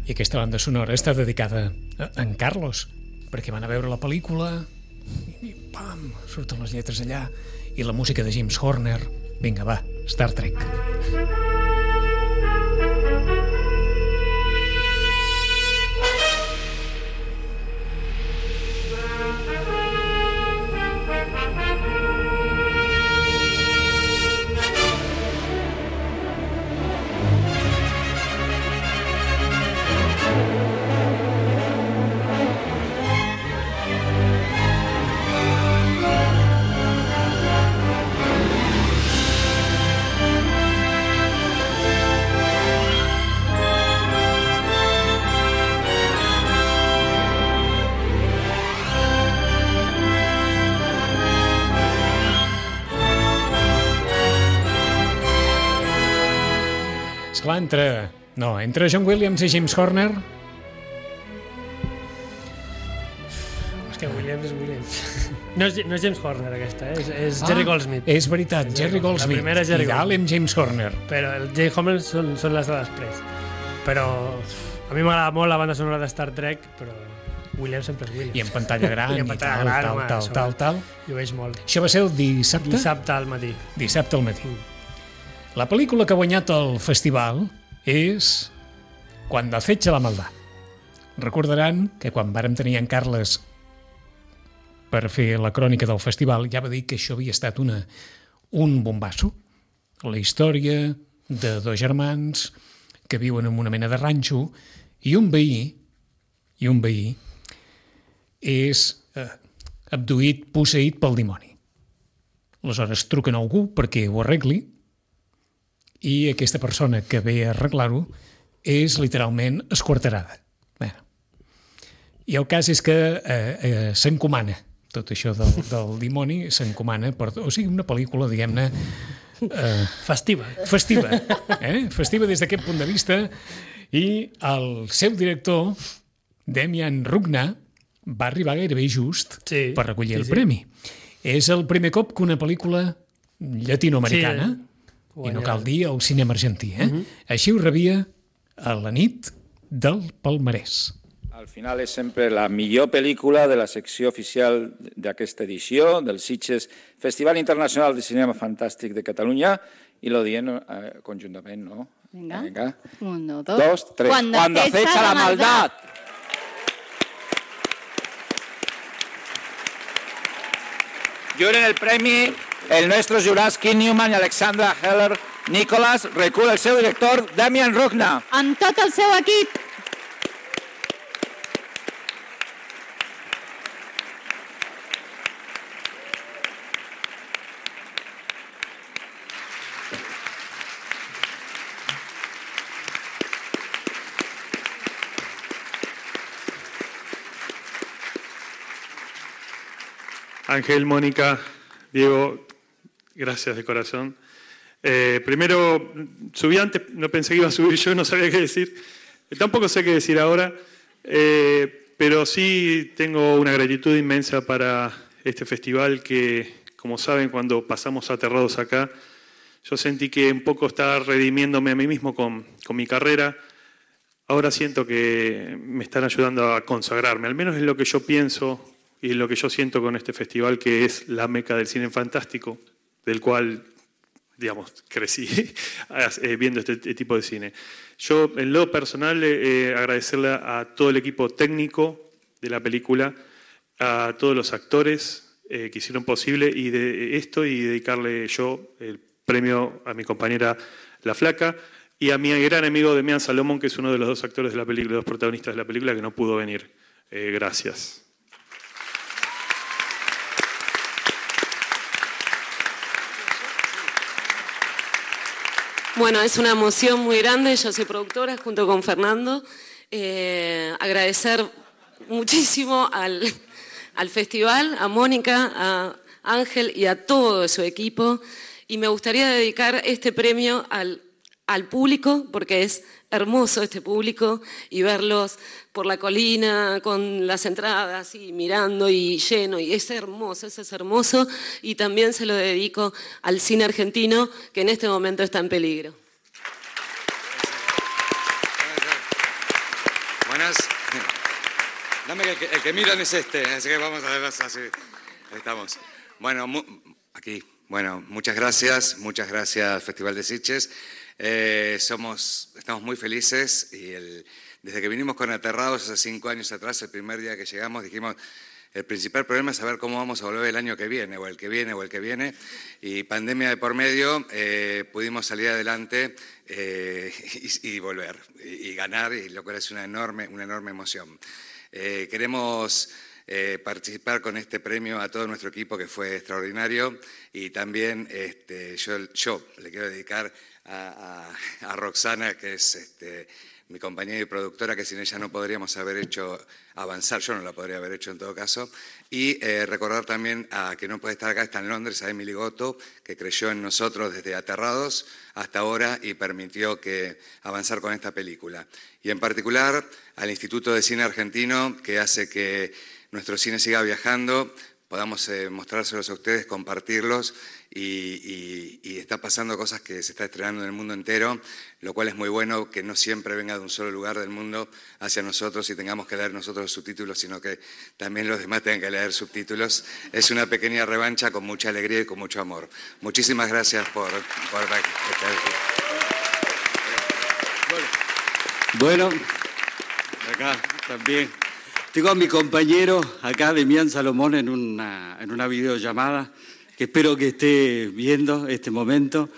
I aquesta banda sonora està dedicada a en Carlos, perquè van a veure la pel·lícula i pam, surten les lletres allà i la música de James Horner. Vinga, va, Star Trek. Esclar, entre John Williams i James Horner. És que Williams és Williams. No és James Horner aquesta, és Jerry Goldsmith. És veritat, Jerry Goldsmith. La primera és Jerry Goldsmith. Amb James Horner. Però el James Horner són les de després. Però a mi m'agrada molt la banda sonora de Star Trek, però Williams sempre és Williams. I en pantalla gran i tal. I ho veig molt. Això va ser el dissabte? Dissabte al matí. Dissabte al matí. La pel·lícula que ha guanyat el festival és Cuando acecha la maldad. Recordaran que quan vàrem tenir en Carles per fer la crònica del festival ja va dir que això havia estat un bombasso. La història de dos germans que viuen en una mena de ranxo i un veí és abduït, posseït pel dimoni. Aleshores truquen a algú perquè ho arregli i aquesta persona que ve a arreglar-ho és literalment esquarterada. Bé. I el cas és que s'encomana tot això del dimoni, s'encomana o sigui, una pel·lícula, diguem-ne, festiva. Festiva des d'aquest punt de vista, i el seu director, Demian Rugna, va arribar gairebé just per recollir el premi. És el primer cop que una pel·lícula llatinoamericana, i no cal dir el cinema argentí, així ho rebia a la nit del palmarès. Al final és sempre la millor pel·lícula de la secció oficial d'aquesta edició del Sitges Festival Internacional de Cinema Fantàstic de Catalunya, i lo diem conjuntament, ¿no? Venga. 1, 2, 2, 3. Cuando acecha la maldad. Lloren el premi el nostres jurats Kim Newman i Alexandra Heller Nicholas, recull el seu director Demian Rugna. Amb tot el seu equip. Ángel, Mónica, Diego, gracias de corazón. Primero, subí antes, no pensé que iba a subir yo, no sabía qué decir. Tampoco sé qué decir ahora, pero sí tengo una gratitud inmensa para este festival que, como saben, cuando pasamos aterrados acá, yo sentí que un poco estaba redimiéndome a mí mismo con mi carrera. Ahora siento que me están ayudando a consagrarme, al menos es lo que yo pienso y lo que yo siento con este festival, que es la meca del cine fantástico, del cual, digamos, crecí viendo este tipo de cine. Yo, en lo personal, agradecerle a todo el equipo técnico de la película, a todos los actores que hicieron posible y de esto, y dedicarle yo el premio a mi compañera La Flaca y a mi gran amigo Demian Salomón, que es uno de los dos actores de la película, los protagonistas de la película, que no pudo venir. Gracias. Bueno, es una emoción muy grande. Yo soy productora junto con Fernando. Agradecer muchísimo al festival, a Mónica, a Ángel y a todo su equipo. Y me gustaría dedicar este premio al público, porque es hermoso este público, y verlos por la colina con las entradas y mirando y lleno, y es hermoso, eso es hermoso. Y también se lo dedico al cine argentino, que en este momento está en peligro. Buenas. Dame que el que miran es este, así que vamos a ver así. Ahí estamos. Bueno, aquí. Bueno, muchas gracias Festival de Sitges. Estamos muy felices y desde que vinimos con Aterrados hace 5 años atrás, el primer día que llegamos, dijimos, el principal problema es saber cómo vamos a volver el año que viene, o el que viene, y pandemia de por medio, pudimos salir adelante y volver, y ganar, y lo cual es una enorme emoción. Queremos participar con este premio a todo nuestro equipo, que fue extraordinario, y también yo le quiero dedicar a Roxana, que es mi compañera y productora, que sin ella no podríamos haber hecho avanzar, yo no la podría haber hecho en todo caso, y recordar también a que no puede estar acá, está en Londres, a Emily Gotto, que creyó en nosotros desde Aterrados hasta ahora y permitió avanzar con esta película. Y en particular al Instituto de Cine Argentino, que hace que nuestro cine siga viajando, podamos mostrárselos a ustedes, compartirlos, y está pasando cosas que se está estrenando en el mundo entero, lo cual es muy bueno, que no siempre venga de un solo lugar del mundo hacia nosotros y tengamos que leer nosotros los subtítulos, sino que también los demás tengan que leer subtítulos. Es una pequeña revancha con mucha alegría y con mucho amor. Muchísimas gracias por estar aquí. Bueno, acá también. Tengo a mi compañero acá, Demián Salomón, en una videollamada, que espero que esté viendo este momento.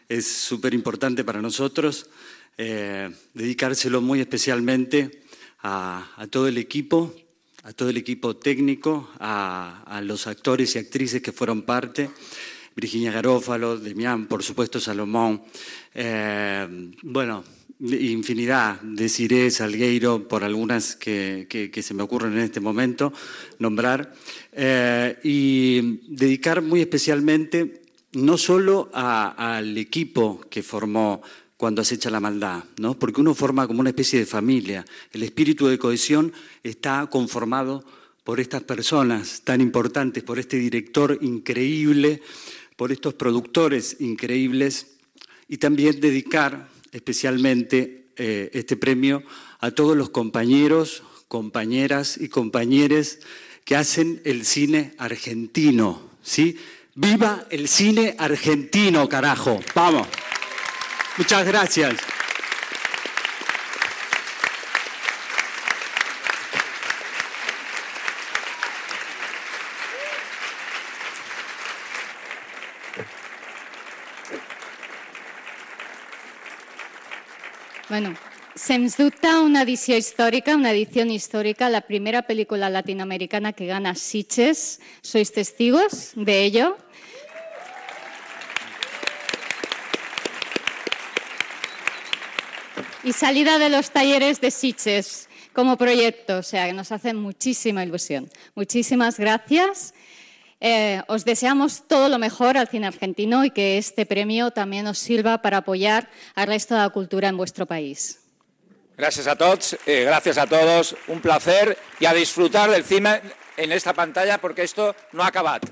Es súper importante para nosotros dedicárselo muy especialmente a todo el equipo técnico, a los actores y actrices que fueron parte, Virginia Garófalo, Demián, por supuesto Salomón, infinidad, Desiree Salgueiro, por algunas que se me ocurren en este momento nombrar, y dedicar muy especialmente no solo al equipo que formó Cuando acecha la maldad, ¿no? Porque uno forma como una especie de familia. El espíritu de cohesión está conformado por estas personas tan importantes, por este director increíble, por estos productores increíbles, y también dedicar especialmente este premio a todos los compañeros, compañeras y compañeres que hacen el cine argentino, ¿sí? ¡Viva el cine argentino, carajo! ¡Vamos! Muchas gracias. Bueno, sens dubte una edició històrica, una edició històrica, la primera pel·lícula latinoamericana que gana Sitges. ¿Sois testigos de ello? Y salida de los talleres de Sitges como proyecto, o sea, que nos hace muchísima ilusión. Muchísimas gracias. Os deseamos todo lo mejor al cine argentino y que este premio también os sirva para apoyar al resto de la cultura en vuestro país. Gracias a todos, gracias a todos, un placer y a disfrutar del cine en esta pantalla perquè esto no ha acabat.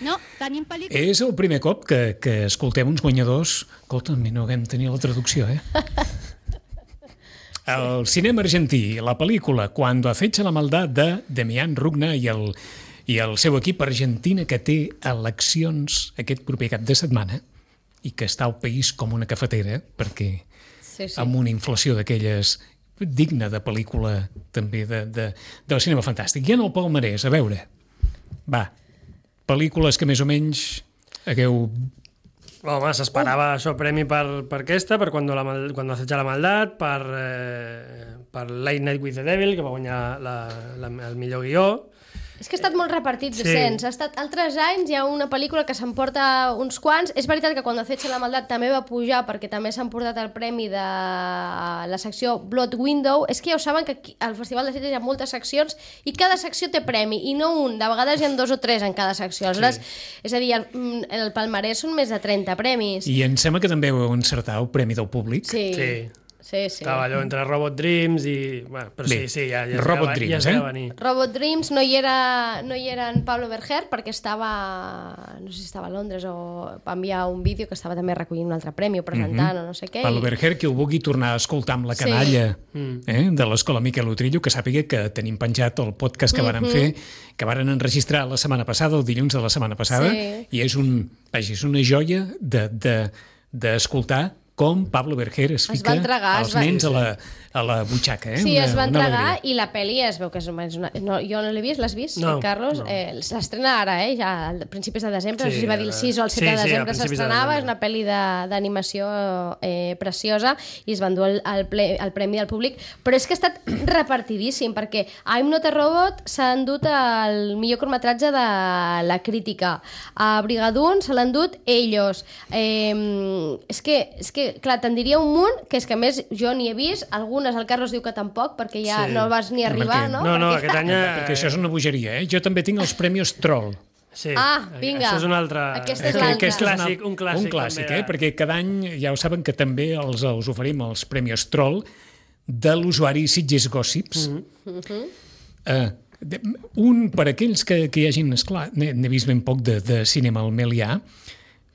No, tenim pel·lícula... És el primer cop que escoltem uns guanyadors. Escolta'm, no haguem tenir la traducció, El cinema argentí, la pel·lícula Cuando acecha la maldad de Demián Rugna i el seu equip argentina, que té eleccions aquest proper cap de setmana i que està al país com una cafetera, perquè amb una inflació d'aquelles digna de pel·lícula també del cinema fantàstic. I en el palmarès, a veure, pel·lícules que més o menys hagueu... Home, s'esperava això premi per aquesta, per Cuando acecha la maldad, per Late Night with the Devil, que va guanyar el millor guió. És que ha estat molt repartit, Vicenç. Ha estat altres anys, hi ha una pel·lícula que s'emporta uns quants. És veritat que Cuando acecha la maldad també va pujar perquè també s'ha emportat el premi de la secció Blood Window. És que ja ho saben que al Festival de Sitges hi ha moltes seccions i cada secció té premi, i no un, de vegades hi ha 2 o 3 en cada secció. Aleshores, és a dir, el palmarès són més de 30 premis. I em sembla que també heu encertat el Premi del Públic. Sí. Sí. Estava allò entre Robot Dreams i... Bueno, però Bé, sí, ja Robot Dreams, ja es va venir. Robot Dreams no hi era en Pablo Berger perquè estava, no sé si estava a Londres o va enviar un vídeo que estava també recollint un altre premi o presentant o no sé què. Pablo Berger, que ho vulgui tornar a escoltar amb la canalla de l'Escola Miquel Utrillo, que sàpiga que tenim penjat el podcast que varen fer, que varen enregistrar la setmana passada, el dilluns de la setmana passada, i és una joia d'escoltar com Pablo Berger es fica els nens a la butxaca. Sí, es va entregar i la pel·li es veu que és una... No, jo no l'he vist, l'has vist, Carlos? S'estrena ara, ja a principis de desembre, no sé si va dir el 6 o el 7 de desembre s'estrenava, és una pel·li d'animació preciosa i es va endur el premi del públic, però és que ha estat repartidíssim, perquè I'm Not a Robot s'ha endut el millor curtmetratge de la crítica, a Brigadoon se l'ha endut Ellos. És que clar, te'n diria un munt, que és que a més jo ni he vist, algunes el Carlos diu que tampoc, perquè ja no vas ni arribar, no? No, aquest any... Perquè això és una bogeria, Jo també tinc els premis Troll. Sí. Vinga. Això és un altre... Aquesta és l'altra. Un clàssic, perquè cada any ja ho saben que també els oferim els premis Troll de l'usuari Sitges Gossips. Un, per aquells que hi hagin, esclar, n'he vist ben poc de cinema al Melià,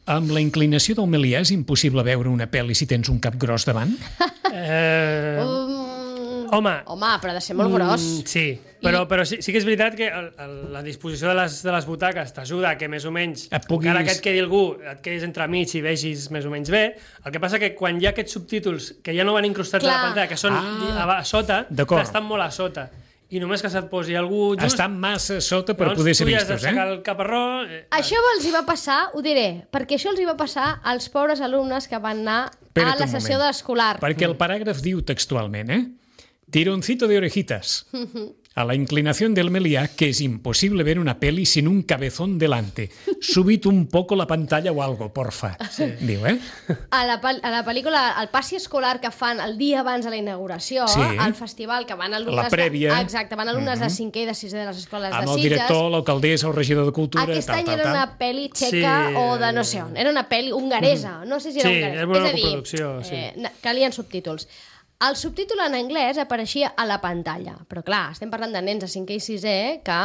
amb la inclinació del Melià és impossible veure una pel·li si tens un cap gros davant? Home, però ha de ser molt gros. Sí, però sí que és veritat que la disposició de les butaques t'ajuda a que més o menys, encara que et quedi algú, et quedis entremig i vegis més o menys bé. El que passa que quan hi ha aquests subtítols que ja no van incrustats a la pantalla, que són a sota, estan molt a sota. I només que se't posi algú just... Estan massa sota per poder ser vistos, Tu ja has d'aixecar el caparró... Això els hi va passar, ho diré, perquè això els hi va passar als pobres alumnes que van anar a la sessió d'escolar. Perquè el paràgraf diu textualment, tironcito de orejitas. A la inclinación del Meliá, que es imposible ver una peli sin un cabezón delante. Subid un poco la pantalla o algo, porfa. Diu, A la pel·lícula, el passi escolar que fan el dia abans de la inauguració, al festival, que van alumnes... La prèvia. Exacte, van alumnes de 5è i de 6è de les escoles de Sitges. Amb el director, l'alcaldessa, el regidor de Cultura... Aquest any era una pel·li txeca o de no sé on. Era una pel·li hongaresa. No sé si era hongaresa. Sí, era una coproducció. Calien subtítols. El subtítol en anglès apareixia a la pantalla, però clar, estem parlant de nens de 5è i 6è que,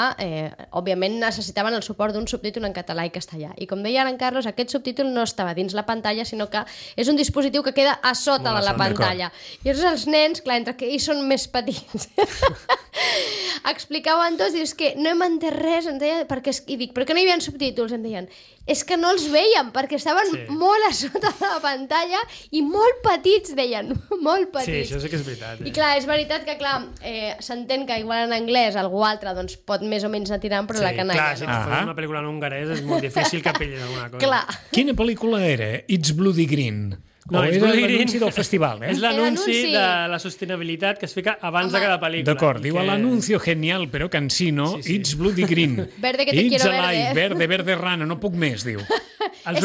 òbviament, necessitaven el suport d'un subtítol en català i castellà. I com deia ara en Carlos, aquest subtítol no estava dins la pantalla, sinó que és un dispositiu que queda a sota de la pantalla. I llavors els nens, clar, entre que ells són més petits, explicaven tots, dius que no hem entès res, i dic, per què no hi havia subtítols? Em deien, és que no els veiem, perquè estaven molt a sota de la pantalla i molt petits, deien, molt petits. Sí, això sí que és veritat. I clar, és veritat que s'entén que igual en anglès algú altre doncs, pot més o menys anar tirant, però la canalla clar, si et fas una pel·lícula en hongarès és molt difícil que pillin alguna cosa. Clar. Quina pel·lícula era? It's Bloody Green. No, era l'anunci del festival, És l'anunci de la sostenibilitat que es fica abans de cada pel·lícula. D'acord, diu l'anuncio genial però cansino, It's Bloody Green. Verde que te quiero verde. Verde, verde rana, no puc més, diu. Els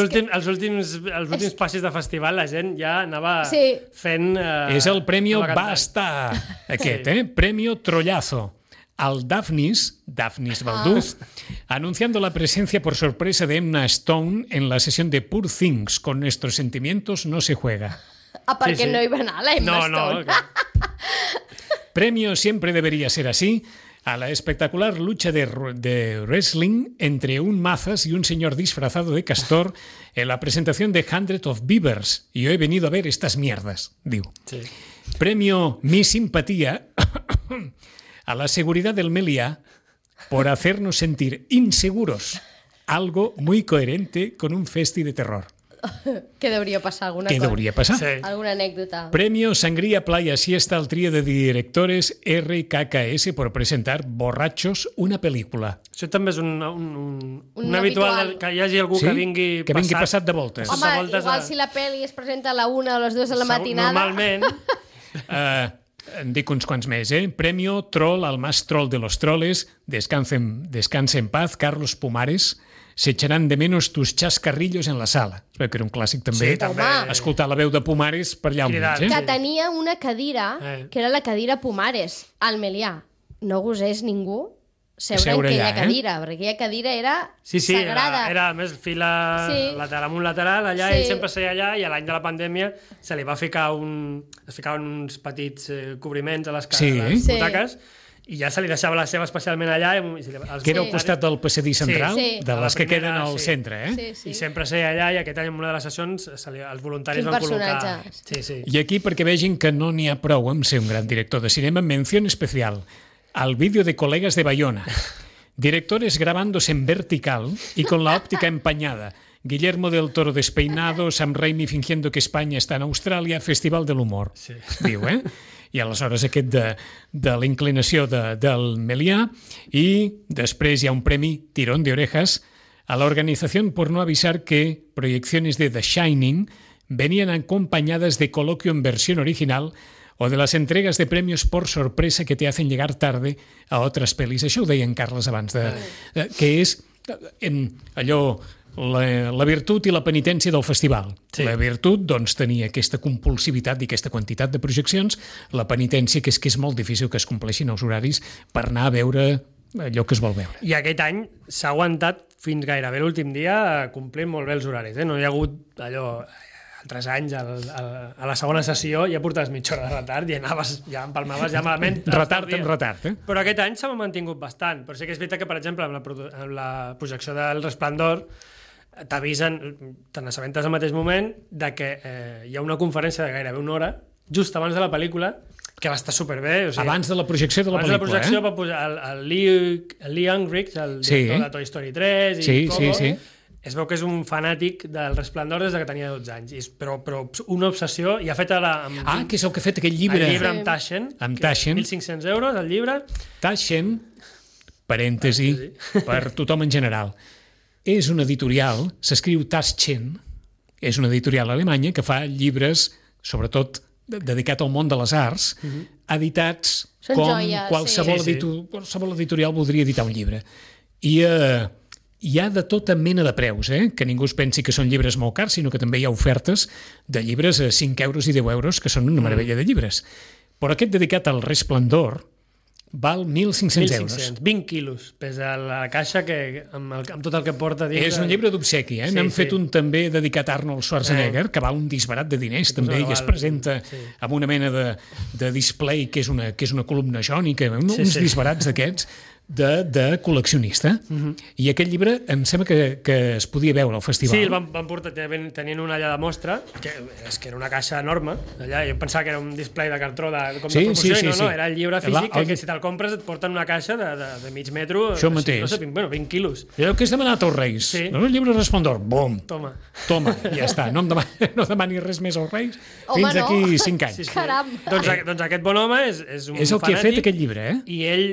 últims passis de festival la gent ja anava fent... És el Premio Basta, aquest, Premio Trollazo. Al Daphnis Balduz, anunciando la presencia por sorpresa de Emma Stone en la sesión de Poor Things, con nuestros sentimientos no se juega. Perquè no hi va anar la Emma Stone. Premio siempre debería ser así a la espectacular lucha de wrestling entre un Mazas y un señor disfrazado de castor en la presentación de Hundred of Beavers. Y yo he venido a ver estas mierdas, diu. Premio Mi Simpatía a la seguridad del Meliá por hacernos sentir inseguros, algo muy coherente con un festi de terror. ¿Qué debería pasar? ¿Qué debería pasar? Sí. Alguna anécdota. Premio Sangría Playa Siesta al trío de directores RKKS por presentar Borrachos, una pel·lícula. Això també és un habitual que hi hagi algú que vingui passat de voltes. Home, igual si la pel·li es presenta a la 1 o a les 2 de la matinada... Normalment... En dic uns quants més, Premio Troll al más troll de los troles, descanse en paz, Carlos Pumares, se echarán de menos tus chascarrillos en la sala. Espero que era un clàssic també. Sí, també. Escoltar la veu de Pumares per allà al mig. Que tenia una cadira, que era la cadira Pumares, al Melià. No gosés ningú seure en aquella cadira, perquè aquella cadira era sagrada. Era més fila amunt lateral, allà, ell sempre seia allà, i a l'any de la pandèmia se li va ficar es ficaven uns petits cobriments a les butaques, i ja se li deixava la seva especialment allà. Que era al costat del passadís central, de les que queden al centre, I sempre seia allà, i aquest any en una de les sessions els voluntaris van col·locar... I aquí, perquè vegin que no n'hi ha prou amb ser un gran director de cinema, mención especial al vídeo de Colegas de Bayona. Directores grabándose en vertical y con la óptica empañada. Guillermo del Toro despeinado, Sam Raimi fingiendo que España está en Austràlia, Festival de l'Humor. Diu, I aleshores aquest de la inclinació del Melià, i després hi ha un premi tirón de orejas a la organización por no avisar que proyecciones de The Shining venían acompañadas de coloquio en versión original o de las entregas de premios por sorpresa que te hacen llegar tarde a otras pelis. Això ho deia en Carles abans, que és allò... La virtut i la penitència del festival. La virtut, doncs, tenia aquesta compulsivitat i aquesta quantitat de projeccions. La penitència, que és molt difícil que es compleixin els horaris per anar a veure allò que es vol veure. I aquest any s'ha aguantat fins gairebé l'últim dia complint molt bé els horaris. No hi ha hagut allò... altres anys, a la segona sessió ja portaves mitja hora de retard i ja empalmaves ja malament. Retard. Però aquest any s'ha mantingut bastant. Però sí que és veritat que, per exemple, amb la projecció del Resplendor t'avisen, te n'assabentes al mateix moment de que hi ha una conferència de gairebé una hora just abans de la pel·lícula que va estar superbé. Abans de la projecció de la pel·lícula. Abans de la projecció va pujar el Lee Unkrich, el director de Toy Story 3 i Coco. Es veu que és un fanàtic del Resplendor des que tenia 12 anys, però una obsessió, i ha fet ara... que és el que ha fet aquell llibre. El llibre amb Taschen, 1.500 euros, el llibre. Taschen, parèntesi, per tothom en general, és una editorial, s'escriu Taschen, és una editorial alemanya que fa llibres, sobretot dedicat al món de les arts, editats com qualsevol editorial voldria editar un llibre. I hi ha de tota mena de preus, que ningú es pensi que són llibres molt cars, sinó que també hi ha ofertes de llibres a 5 euros i 10 euros, que són una meravella de llibres. Però aquest dedicat al Resplendor val 1.500 euros. 20 quilos pesa la caixa amb tot el que porta dins. És un llibre d'obsequi, N'han fet un també dedicat a Arnold Schwarzenegger, que val un disbarat de diners també, i es presenta amb una mena de display que és una columna jònica, uns disbarats d'aquests de col·leccionista. I aquest llibre em sembla que es podia veure al festival. Sí, el van portar, tenien una allà de mostra, que era una caixa enorme, allà, jo pensava que era un display de cartró de promoció, i no, era el llibre físic, que si te'l compres et porten una caixa de mig metro, això mateix. 20 quilos. Allò que has demanat als Reis, el llibre Resplendor, bum, toma, ja està, no demanis res més als Reis fins d'aquí 5 anys. Caram! Doncs aquest bon home és un fanàtic. És el que ha fet aquest llibre, i ell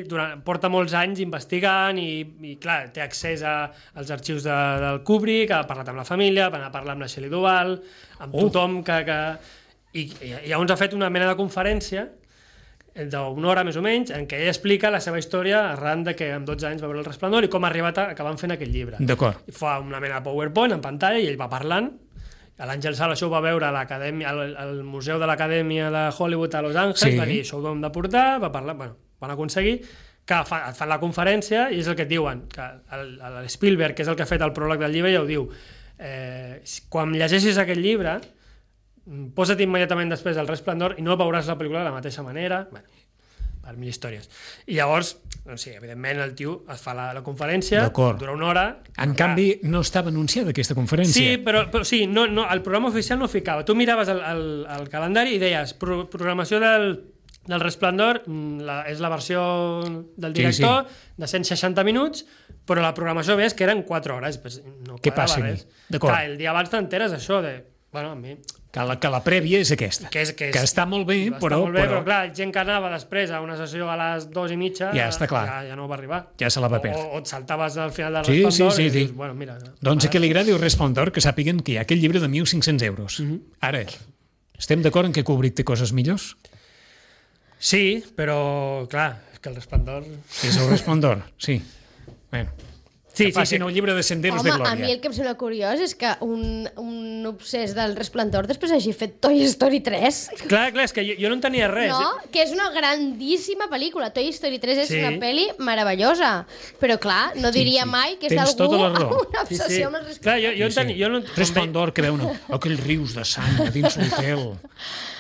porta molts anys investigant i clar, té accés als arxius del Kubrick, ha parlat amb la família, va anar a parlar amb la Shelley Duvall, amb tothom i llavors ha fet una mena de conferència d'una hora més o menys, en què ell explica la seva història arran de que amb 12 anys va veure el Resplendor i com ha arribat a acabar fent aquest llibre. D'acord. Fa una mena de PowerPoint en pantalla i ell va parlant. L'Àngel Sala això ho va veure al Museu de l'Acadèmia de Hollywood a Los Angeles, va dir, això ho hem de portar, va parlar, van aconseguir que et fan la conferència i és el que et diuen, que l'Spielberg, que és el que ha fet el pròleg del llibre, ja ho diu, quan llegeixis aquest llibre, posa't immediatament després el Resplendor i no veuràs la pel·lícula de la mateixa manera, per mil històries. I llavors, evidentment, el tio es fa la conferència, dura una hora... En canvi, no estava anunciada aquesta conferència. Sí, però sí, el programa oficial no ficava. Tu miraves el calendari i deies, programació del Resplendor és la versió del director de 160 minuts, però la programació ves que eren 4 hores. Què passa? Clar, el dia abans t'enteres això de... Bueno, a mi... Que la prèvia és aquesta, que està molt bé, però clar, gent que anava després a una sessió a les 2:30 ja no va arribar. Ja se la va perdre. O et saltaves al final del Resplendor i dius, bueno, mira... Doncs a qui li agradi el Resplendor, que sàpiguen que hi ha aquest llibre de 1.500 euros. Ara, estem d'acord en que Kubrick té coses millors? Sí, però, clar, que el Resplendor... És el Resplendor, sí. Bueno. que facin el llibre de Senderos de Glòria. A mi el que em sembla curiós és que un obsès del Resplendor després hagi fet Toy Story 3. Clar, és que jo no en tenia res. No, que és una grandíssima pel·lícula. Toy Story 3 és una pel·li meravellosa. Però clar, no diria mai que és d'algú amb una obsessió amb el Resplendor. Clar, jo en tenia... Resplendor, que veuen aquells rius de sang a dins l'hotel.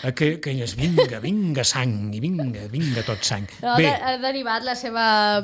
Aquelles, vinga sang, i vinga tot sang. Bé, ha derivat la seva...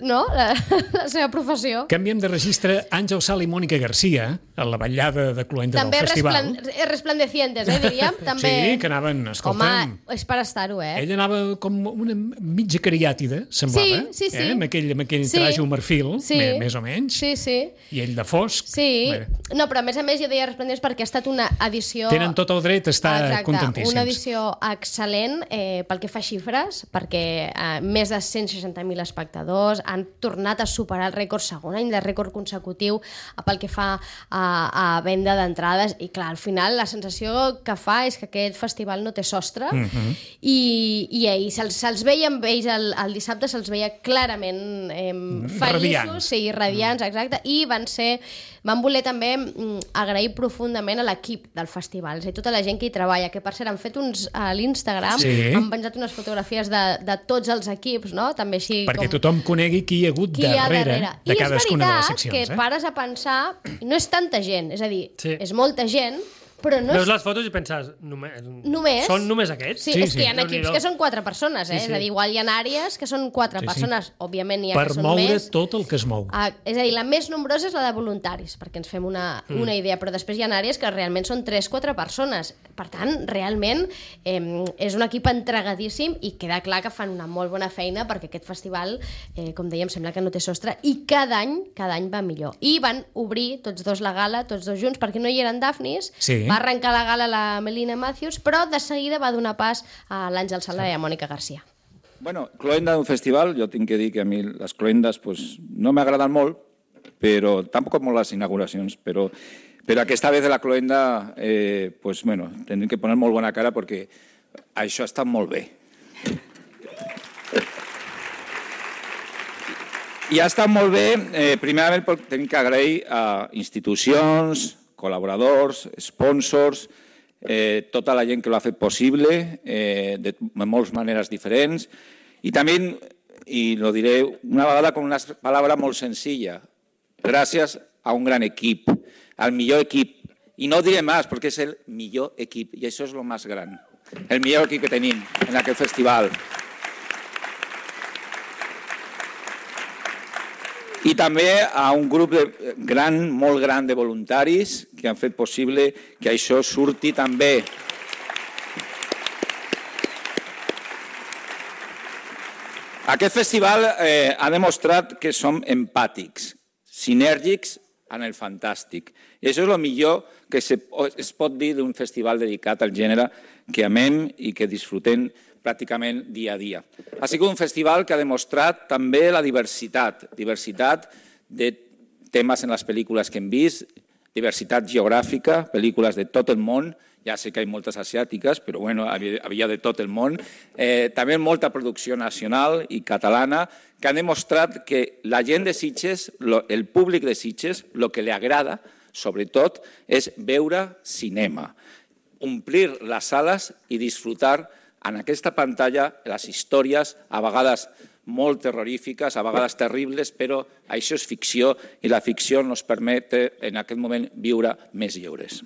no? La seva professió. Canviem de registre. Àngel Sala i Mònica Garcia, a la vetllada de Cluenda del festival. També resplandecientes, diríem. També... Sí, que anaven, escolta'm... Home, és per estar-ho, Ella anava com una mitja cariàtida, semblava. Sí. Amb aquell traje marfil, més o menys. Sí. I ell de fosc. Sí. No, però a més jo deia resplendents perquè ha estat una edició... Tenen tot el dret a estar contentíssims. Una edició excel·lent pel que fa a xifres, perquè més de 160.000 espectadors han tornat a superar el rècord, segon any de rècord consecutiu pel que fa a venda d'entrades, i clar, al final la sensació que fa és que aquest festival no té sostre, i ahir se'ls veia amb ells el dissabte, se'ls veia clarament feliços, radiants, exacte, i van voler també agrair profundament a l'equip del festival, és a dir, tota la gent que hi treballa, que per cert han fet a l'Instagram, han penjat unes fotografies de tots els equips, no? També així perquè tothom conegui qui hi ha hagut darrere de cadascuna de les seccions. I és veritat que pares a pensar, no és tanta gent, és a dir, és molta gent, però no veus les fotos i penses, només? Són només aquests? Sí, és que hi ha equips que són 4 persones, és a dir, igual hi ha àrees que són 4 persones, òbviament hi ha que són més. Per moure tot el que es mou. És a dir, la més nombrosa és la de voluntaris, perquè ens fem una idea, però després hi ha àrees que realment són 3-4 persones. Per tant, realment és un equip entregadíssim i queda clar que fan una molt bona feina perquè aquest festival, com dèiem, sembla que no té sostre i cada any va millor. I van obrir tots dos la gala, tots dos junts, perquè no hi eren Dafnis. Va arrencar la gala la Melina Matthews, però de seguida va donar pas a l'Àngel Sala i a Mònica Garcia. Bueno, Cloenda d'un festival, jo tinc que dir que a mi les cloendes no m'agraden molt, però tampoc molt les inauguracions, però aquesta vez de la cloenda, tindrem que poner molt bona cara perquè això està molt bé. I ha estat molt bé, primerament tenim que agrair a institucions, col·laboradors, sponsors, tota la gent que l'ha fet possible, de moltes maneres diferents, i també, i lo diré una vegada con una palabra molt senzilla, gràcies a un gran equip, al millor equip, i no diré més perquè és el millor equip, i això és el més gran, el millor equip que tenim en aquest festival. I també a un grup molt gran de voluntaris que han fet possible que això surti també. Aquest festival ha demostrat que som empàtics, sinèrgics en el fantàstic. I això és el millor que es pot dir d'un festival dedicat al gènere que amem i que disfrutem pràcticament dia a dia. Ha sigut un festival que ha demostrat també la diversitat de temes en les pel·lícules que hem vist, diversitat geogràfica, pel·lícules de tot el món, ja sé que hi ha moltes asiàtiques, però bueno, havia de tot el món, també molta producció nacional i catalana, que han demostrat que la gent de Sitges, el públic de Sitges, el que li agrada, sobretot, és veure cinema, omplir les sales i disfrutar en aquesta pantalla les històries, a vegades molt terrorífiques, a vegades terribles, però això és ficció i la ficció ens permet en aquest moment viure més lliures.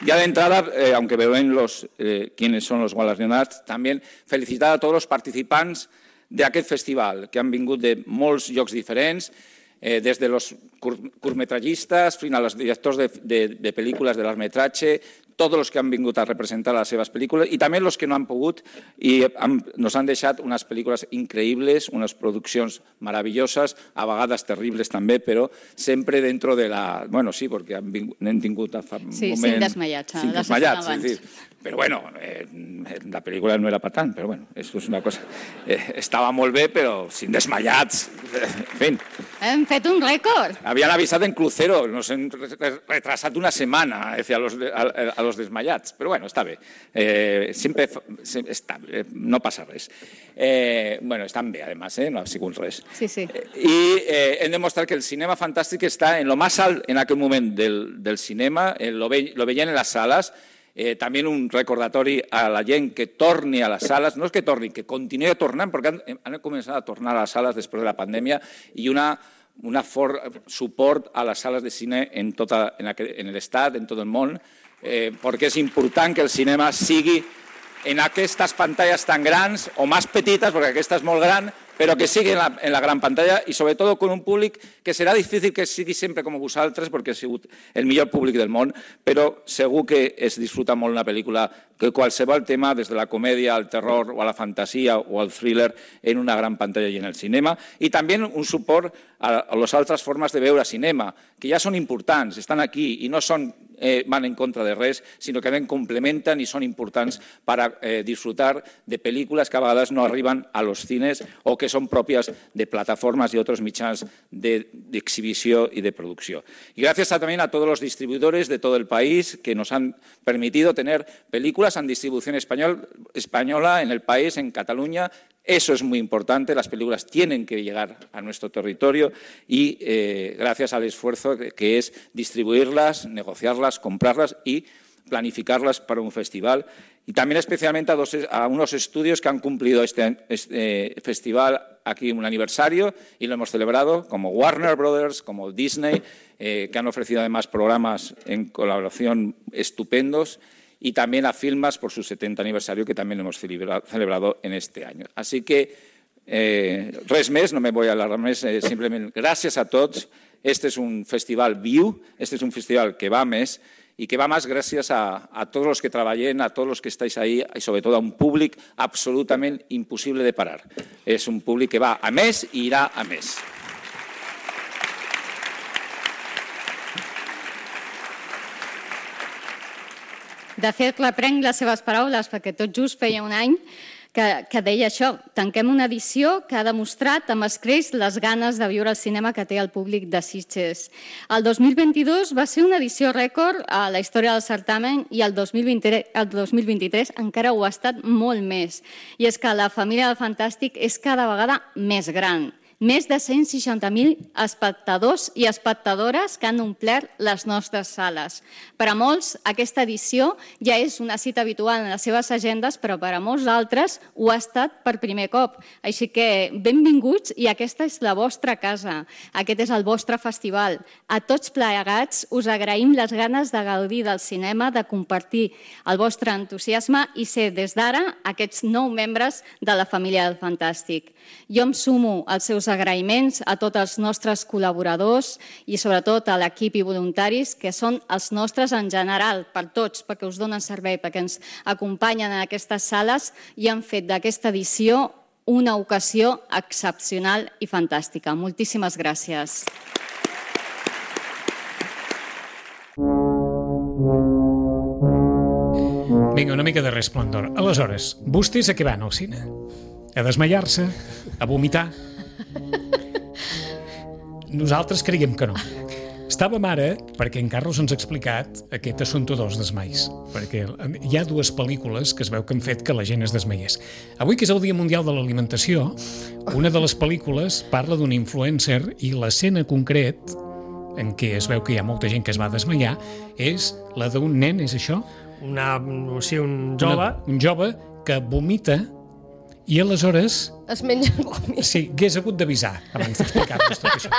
Ya de entrada, aunque ven quiénes son los galardonados, también felicitar a tots els participants d'aquest festival, que han vingut de molts llocs diferents, des de los curtmetrallistes fins a los directors de pel·lícules de largmetratge, tots els que han vingut a representar les seves pel·lícules i també els que no han pogut i nos han deixat unes pel·lícules increïbles, unes produccions meravelloses, a vegades terribles també, però sempre dentro de la... Bueno, sí, perquè hem tingut fa un moment... Sí, Cinc desmayats. Cinc desmayats, és dir, però bueno, la pel·lícula no era per tant, però bueno, això és una cosa... Estava molt bé, però Cinc desmayats, en fi. Hem fet un rècord. Habían avisado en crucero, nos han retrasat una setmana a los los desmayats, però bueno, està bé. No passa res. Estan bé, además, no ha sigut res. Sí. I hem demostrat que el cinema fantàstic està en lo más alt en aquell moment del cinema, lo veien en les sales. També un recordatori a la gent que torni a les sales, no és que torni, que continuï tornant, perquè han començat a tornar a les sales després de la pandèmia, i un fort suport a les sales de cine en l'estat, en tot el món, perquè és important que el cinema sigui en aquestes pantalles tan grans o més petites, perquè aquesta és molt gran, però que sigui en la gran pantalla i sobretot con un públic que serà difícil que sigui sempre com vosaltres perquè ha sigut el millor públic del món, però segur que es disfruta molt una pel·lícula que qualsevol tema, des de la comèdia al terror o a la fantasia o al thriller, en una gran pantalla i en el cinema. I també un suport a les altres formes de veure cinema, que ja són importants, estan aquí i no van en contra de res, sinó que complementen i són importants per disfrutar de pel·lícules que a vegades no arriben a los cines o que son propias de plataformas y otros mitjans de exhibición y de producción. Y gracias también a todos los distribuidores de todo el país que nos han permitido tener películas en distribución española en el país, en Cataluña. Eso es muy importante, las películas tienen que llegar a nuestro territorio y gracias al esfuerzo que es distribuirlas, negociarlas, comprarlas y planificarlas para un festival. Y también especialmente a unos estudios que han cumplido este festival aquí un aniversario y lo hemos celebrado, como Warner Brothers, como Disney, que han ofrecido además programas en colaboración estupendos, y también a Filmas por su 70 aniversario, que también lo hemos celebrado en este año. Así que res més, no me voy a alargar més, simplement gràcies a tots. Este es un festival viu, este es un festival que va més, y que va más gracias a todos los que trabajen, a todos los que estáis ahí y sobre todo a un públic absolutamente imposible de parar. Es un públic que va a més i irà a més. De fet, reprenc les seves paraules, perquè tot just feia un any que deia això. Tanquem una edició que ha demostrat amb escreix les ganes de viure el cinema que té el públic de Sitges. El 2022 va ser una edició rècord a la història del certamen i el 2023 encara ho ha estat molt més. I és que la família del Fantàstic és cada vegada més gran. Més de 160.000 espectadors i espectadores que han omplert les nostres sales. Per a molts, aquesta edició ja és una cita habitual en les seves agendes, però per a molts altres ho ha estat per primer cop. Així que benvinguts i aquesta és la vostra casa. Aquest és el vostre festival. A tots plegats us agraïm les ganes de gaudir del cinema, de compartir el vostre entusiasme i ser des d'ara aquests 9 membres de la família del Fantàstic. Jo em sumo als seus agraïments a tots els nostres col·laboradors i sobretot a l'equip i voluntaris que són els nostres en general, per tots, perquè us donen servei, perquè ens acompanyen en aquestes sales i han fet d'aquesta edició una ocasió excepcional i fantàstica. Moltíssimes gràcies. Vinga, una mica de resplendor. Aleshores, vostès a què van al cine? A desmaiar-se? A vomitar? Nosaltres creiem que no. Estàvem ara, perquè en Carlos ens ha explicat aquest assumpte dels desmais, perquè hi ha 2 pel·lícules que es veu que han fet que la gent es desmaiés. Avui, que és el Dia Mundial de l'Alimentació, una de les pel·lícules parla d'un influencer i l'escena concret en què es veu que hi ha molta gent que es va desmaiar és la d'un nen, és això? Sí, un jove. Un jove que vomita i aleshores... Es menja el vòmit. Sí, hagués hagut d'avisar abans d'explicar-vos tot això.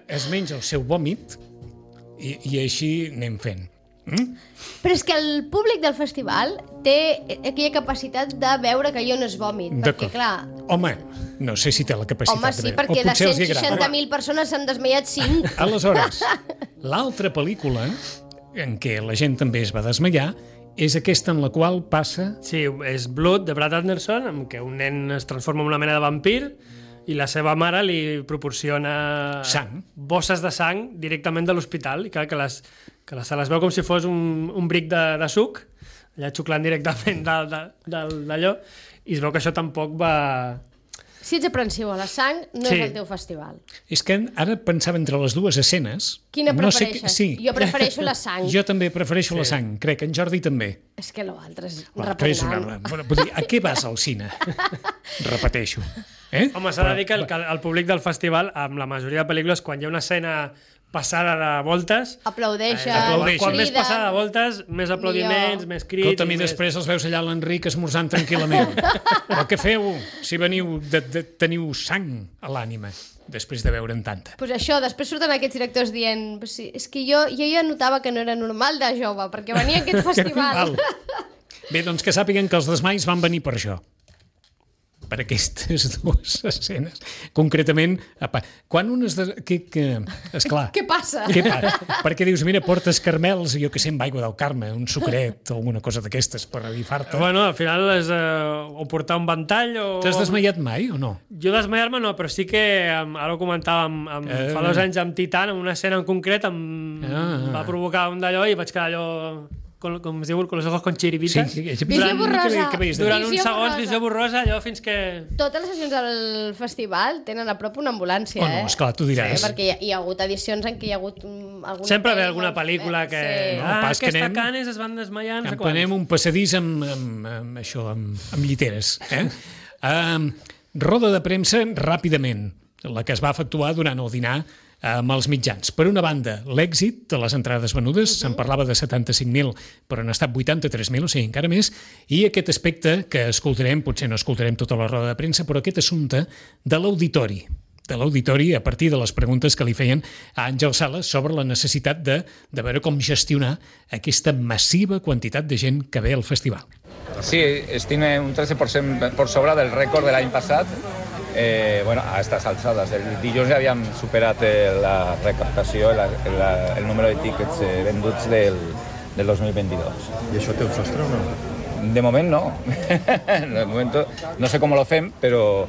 Es menja el seu vòmit i així anem fent. Però és que el públic del festival té aquella capacitat de veure que allò no és vòmit. Perquè, clar... Home, no sé si té la capacitat de veure. Home, sí, perquè de 160.000 persones s'han desmaiat 5. Aleshores, l'altra pel·lícula en què la gent també es va desmaiar és aquesta en la qual passa... Sí, és Blood, de Brad Anderson, en què un nen es transforma en una mena de vampir i la seva mare li proporciona bosses de sang directament de l'hospital i clar, que se les veu com si fos un bric de suc, allà xuclant directament d'allò, i es veu que això tampoc va... Si ets aprensiu a la sang, no és el teu festival. És que ara pensava entre les dues escenes... Quina prefereixes? Jo prefereixo la sang. Jo també prefereixo la sang, crec que en Jordi també. És que l'altre és repugnant. Vull dir, a què vas al cine? Repeteixo. Home, s'ha de dir que el públic del festival, amb la majoria de pel·lícules, quan hi ha una escena passada de voltes... Aplaudeixen. Quan més passada de voltes, més aplaudiments, més crits... Escolta'm, i després els veus allà a l'Enric esmorzant tranquil·lament. Però què feu si teniu sang a l'ànima després de veure'n tanta? Pues això, després surten aquests directors dient és que jo ja notava que no era normal de jove, perquè venia a aquest festival. Bé, doncs que sàpiguen que els desmais van venir per això. Per aquestes dues escenes. Concretament, quan unes... Esclar. Què passa? Perquè dius, mira, portes carmels, jo que sé, amb aigua del Carme, un sucret o alguna cosa d'aquestes per revifar-te. Bueno, al final és o portar un ventall o... T'has desmaiat mai o no? Jo desmaiar-me no, però sí que, ara ho comentàvem fa 2 anys amb Titan, en una escena en concret va provocar un d'allò i vaig quedar allò... com es diu, con los ojos con chiribitas. Visió borrosa. Durant uns segons, visió borrosa, allò fins que... Totes les sessions del festival tenen a prop una ambulància, no, esclar, tu diràs. Sí, perquè hi ha hagut edicions en què hi ha hagut alguna... Sempre ve alguna pel·lícula que... Aquesta Canes es van desmaiar... Empenem un passadís amb això, amb lliteres. Roda de premsa ràpidament, la que es va efectuar durant el dinar amb els mitjans. Per una banda, l'èxit de les entrades venudes, se'n parlava de 75.000, però han estat 83.000, o sigui, encara més, i aquest aspecte que escoltarem, potser no escoltarem tota la roda de premsa, però aquest assumpte de l'auditori, a partir de les preguntes que li feien a Àngel Sales sobre la necessitat de veure com gestionar aquesta massiva quantitat de gent que ve al festival. Sí, tiene un 13% por sobre del rècord de l'any passat. Bueno, a estas alçades. El dilluns ja havíem superat la recaptació, el número de tíquets venduts del 2022. I això té un sostre o no? De moment no. De moment no sé com lo fem, però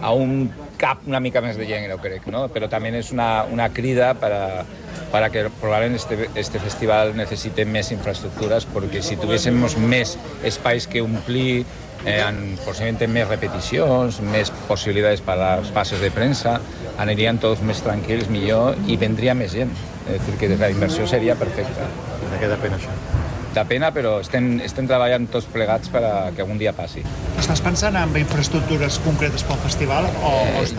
aún cap una mica més de gent, crec, ¿no? Però també és una crida para que probablement este festival necesite més infraestructures, perquè si tuviésemos més espais que omplir, posiblemente més repeticions, més possibilitats per a les passes de premsa, anirien tots més tranquils, millor, i vendria més gent. És a dir, que la inversió seria perfecta. De què depèn això? De pena, però estem treballant tots plegats perquè algun dia passi. Estàs pensant en infraestructures concretes pel festival?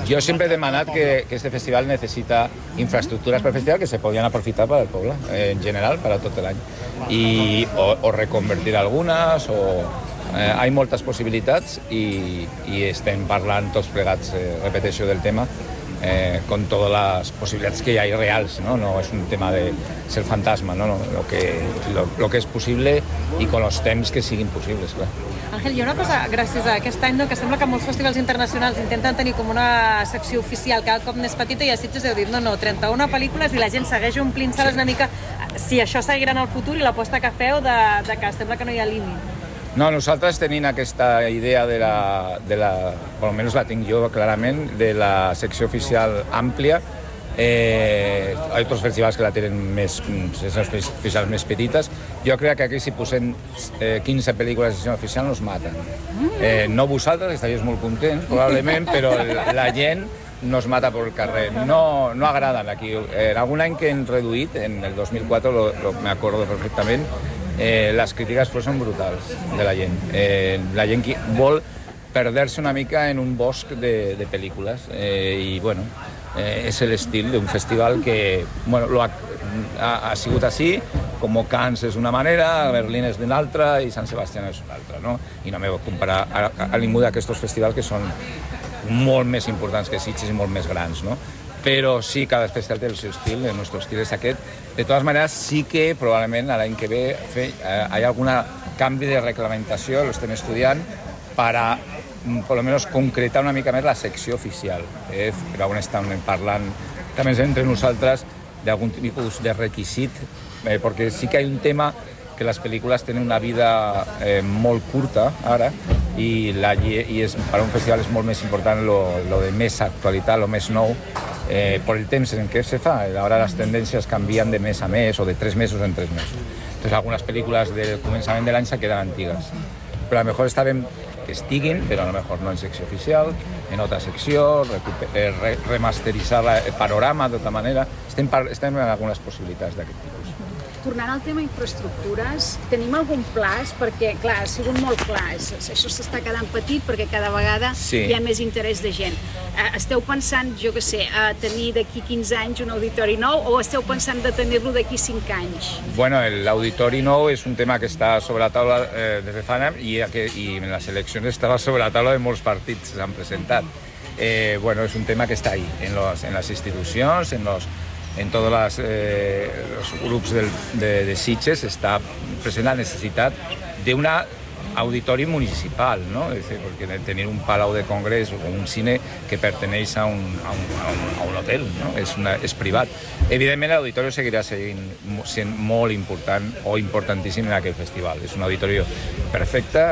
Jo sempre he demanat que este festival necessita infraestructures per festival que se podien aprofitar per al poble, en general, per a tot l'any. O reconvertir algunes, hi moltes possibilitats i estem parlant tots plegats, repeteixo, del tema, con todas las posibilidades que hay reals, ¿no? No es un tema de ser fantasma, ¿no? Lo que es posible i con los temps que siguin possibles, clar. Àngel, hi ha una cosa, gràcies a aquest any, que sembla que molts festivals internacionals intenten tenir com una secció oficial cada cop més petita i a Sitges heu dit, no, 31 pel·lícules i la gent segueix omplint sales una mica. Si això seguirà en el futur i l'aposta que feu de que sembla que no hi ha límit. No, nosaltres tenim aquesta idea per almenys la tinc jo clarament, de la secció oficial àmplia. Hi ha altres festivals que la tenen seccions oficials més petites. Jo crec que aquí si posem 15 pel·lícules de secció oficial nos maten. No vosaltres, estaríeu molt contents, probablement, però la gent nos mata por el carrer. No agraden aquí. En algun any que hem reduït, en el 2004, me acuerdo perfectament, les crítiques són brutals de la gent. La gent vol perdre-se una mica en un bosc de pel·lícules i, bueno, és l'estil d'un festival que, bueno, ha sigut així, com Cannes és una manera, Berlín és d'una altra i Sant Sebastián és una altra, no? I no m'he de comparar a ningú d'aquests festivals que són molt més importants que Sitges i molt més grans, no? Però sí, cada festival té el seu estil, el nostre estil és aquest. De totes maneres, sí que probablement l'any que ve hi ha algun canvi de reglamentació, lo estem estudiant, per a, per almenys, concretar una mica més la secció oficial. Però on estem parlant, també entre nosaltres, d'algun tipus de requisit, perquè sí que hi ha un tema que les pel·lícules tenen una vida molt curta ara i per a un festival és molt més important lo de més actualitat, lo més nou, per el temps en què se fa. Ara les tendències canvien de mes a mes o de 3 mesos en 3 mesos. Entonces algunes pel·lícules del començament de l'any se queden antigues. Però a lo mejor està ben estiguin, però a lo mejor no en secció oficial, en altra secció, remasteritzar el panorama d'altra manera. Estem en algunes possibilitats d'aquest tipus. Tornant al tema infraestructures, tenim algun plaç? Perquè, clar, ha sigut molt clar, això s'està quedant petit perquè cada vegada hi ha més interès de gent. Esteu pensant, jo què sé, a tenir d'aquí 15 anys un auditori nou o esteu pensant de tenir-lo d'aquí 5 anys? Bueno, l'auditori nou és un tema que està sobre la taula des de fa anys i en les eleccions estava sobre la taula de molts partits que s'han presentat. Bueno, és un tema que està ahí, en les institucions, en tots els grups de Sitges està present la necessitat d'un auditori municipal, ¿no? Es decir, porque tener un palau de congrés o un cine que perteneix a un hotel, ¿no? És privat. Evidentment, l'auditori seguirà sent molt important o importantíssim en aquest festival. És un auditori perfecte,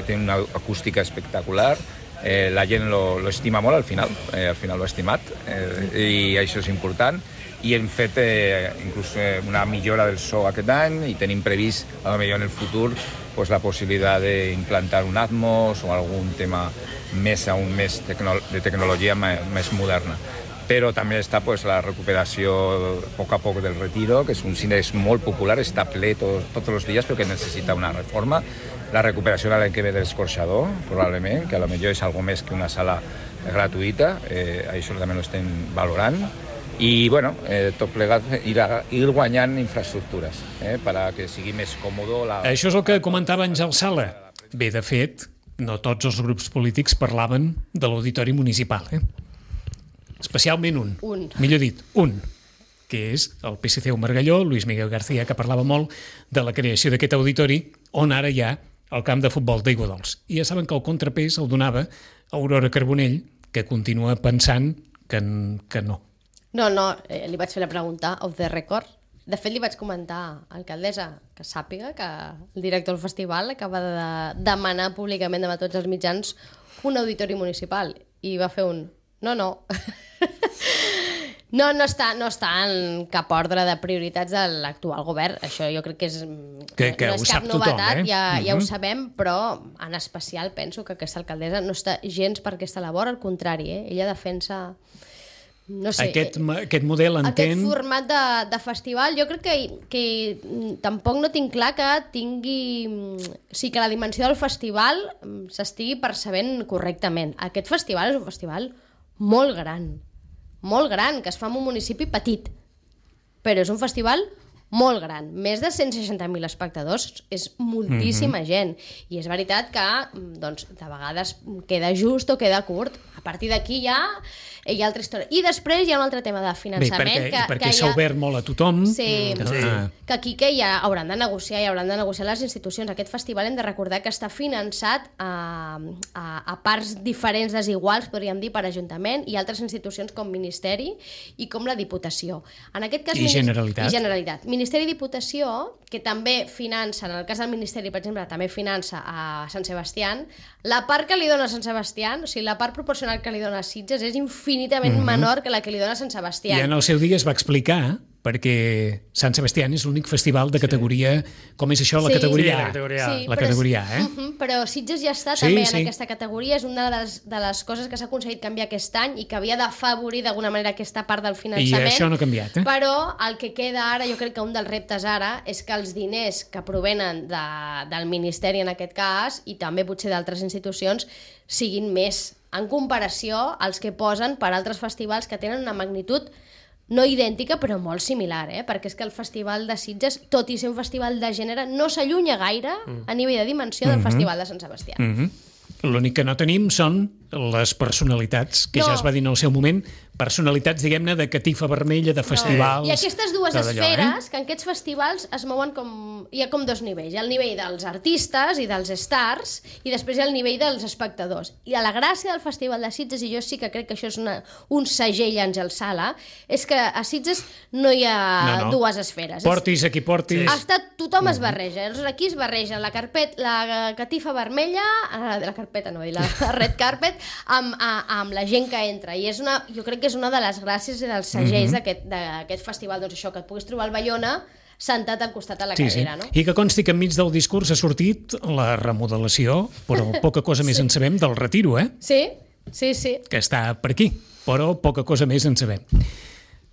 té una acústica espectacular, la gent lo estima molt al final l'ha estimat, i això és important. I hem fet inclús una millora del so aquest any i tenim previst, potser en el futur, la possibilitat d'implantar un Atmos o algun tema més de tecnologia més moderna. Però també està la recuperació a poc a poc del Retiro, que és un cine molt popular, està ple tots els dies, però que necessita una reforma. La recuperació de l'any que ve de l'Escorxador, probablement, que potser és algo més que una sala gratuïta, això també ho estem valorant. I, bueno, tot plegat ir guanyant infraestructures perquè sigui més còmode. Això és el que comentava Àngel Sala. Bé, de fet, no tots els grups polítics parlaven de l'auditori municipal, especialment un. Millor dit, un, que és el PSC Margalló, Luis Miguel García, que parlava molt de la creació d'aquest auditori, on ara hi ha el camp de futbol d'Aiguadols. I ja saben que el contrapès el donava Aurora Carbonell, que continua pensant que no. No, li vaig fer la pregunta off the record. De fet, li vaig comentar a l'alcaldessa que sàpiga que el director del festival acaba de demanar públicament davant tots els mitjans un auditori municipal. I va fer un no. No està en cap ordre de prioritats de l'actual govern. Això jo crec que no és cap novetat, ja ho sabem, però en especial penso que aquesta alcaldessa no està gens per aquesta labor, al contrari, ella defensa... No sé, aquest model entén... Aquest format de festival, jo crec que tampoc no tinc clar que tingui... O sigui, que la dimensió del festival s'estigui percebent correctament. Aquest festival és un festival molt gran, que es fa en un municipi petit, però és un festival molt gran. Més de 160.000 espectadors és moltíssima gent. I és veritat que doncs, de vegades queda just o queda curt. A partir d'aquí ja hi ha altra història. I després hi ha un altre tema de finançament. Perquè s'ha obert molt a tothom. Sí, que aquí que ja hauran de negociar les institucions. Aquest festival hem de recordar que està finançat a parts diferents, desiguals, podríem dir, per Ajuntament i altres institucions com Ministeri i com la Diputació. En aquest cas, I Generalitat. Ministeri i Diputació, que també finança, en el cas del Ministeri, per exemple, també finança a Sant Sebastià, la part que li dona a Sant Sebastià, o sigui, la part proporcional que li dona a Sitges és infinitament menor que la que li dona a Sant Sebastià. I en el seu dia es va explicar, perquè Sant Sebastià és l'únic festival de categoria, com és això, la categoria A. La categoria A, Però Sitges ja està també en aquesta categoria, és una de les coses que s'ha aconseguit canviar aquest any i que havia d'afavorir d'alguna manera aquesta part del finançament. I això no ha canviat, Però el que queda ara, jo crec que un dels reptes ara, és que els diners que provenen del Ministeri en aquest cas, i també potser d'altres institucions, siguin més en comparació als que posen per altres festivals que tenen una magnitud no idèntica, però molt similar, perquè és que el Festival de Sitges, tot i ser un festival de gènere, no s'allunya gaire a nivell de dimensió del Festival de Sant Sebastià. L'únic que no tenim són les personalitats, que ja es va dir en el seu moment, personalitats, diguem-ne, de catifa vermella, de festivals... I aquestes dues esferes, que en aquests festivals es mouen com... Hi ha com dos nivells. Hi ha el nivell dels artistes i dels stars, i després hi ha el nivell dels espectadors. I la gràcia del Festival de Sitges, i jo sí que crec que això és un segell Àngel Sala, és que a Sitges no hi ha dues esferes. Portis a qui portis... Tothom es barreja. Aquí es barreja la catifa vermella, la carpeta no, la red carpet, amb la gent que entra. I jo crec que és una de les gràcies i dels segells d'aquest festival. Doncs això, que et puguis trobar al Baiona sentat al costat de la cadira, no? I que consti que enmig del discurs ha sortit la remodelació, però poca cosa més en sabem del retiro, Sí. Que està per aquí, però poca cosa més en sabem.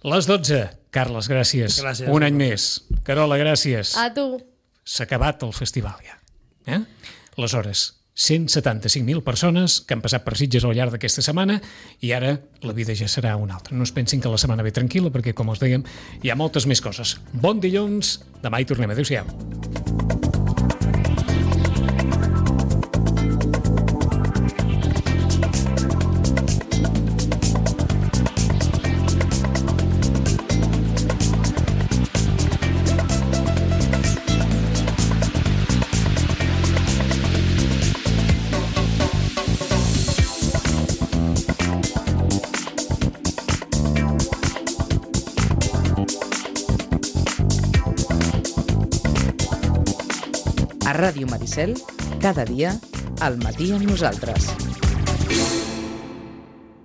Les 12. Carles, gràcies. Un any més. Carola, gràcies. A tu. S'ha acabat el festival ja. Aleshores, 175.000 persones que han passat per Sitges al llarg d'aquesta setmana i ara la vida ja serà una altra. No es pensin que la setmana ve tranquil·la perquè, com us dèiem, hi ha moltes més coses. Bon dilluns, demà hi tornem. Adéu-siau. A Ràdio Maricel, cada dia, al matí amb nosaltres.